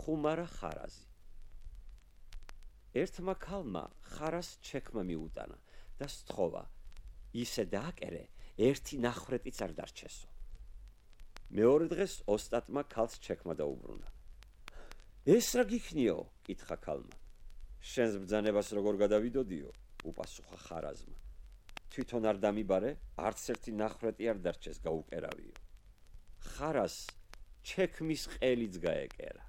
ხუმარა ხარაზი. ერთმა ქალმა ხარას ჩექმა მიუტანა და სთხოვა, ისე დააკერე, ერთი ნახრეტიც არ დარჩესო. მეორე დღეს ოსტატმა ქალს ჩექმა დაუბრუნა. ეს რა გიქნიო? კითხა ქალმა. შენს ბრძანებას როგორ გადავიდოდიო? უპასუხა ხარაზმა. თვითონ არ დამიბარე, არც ერთი ნახრეტი არ დარჩეს გაუკერავიო. ხარას ჩექმის ყელიც გაეკერა.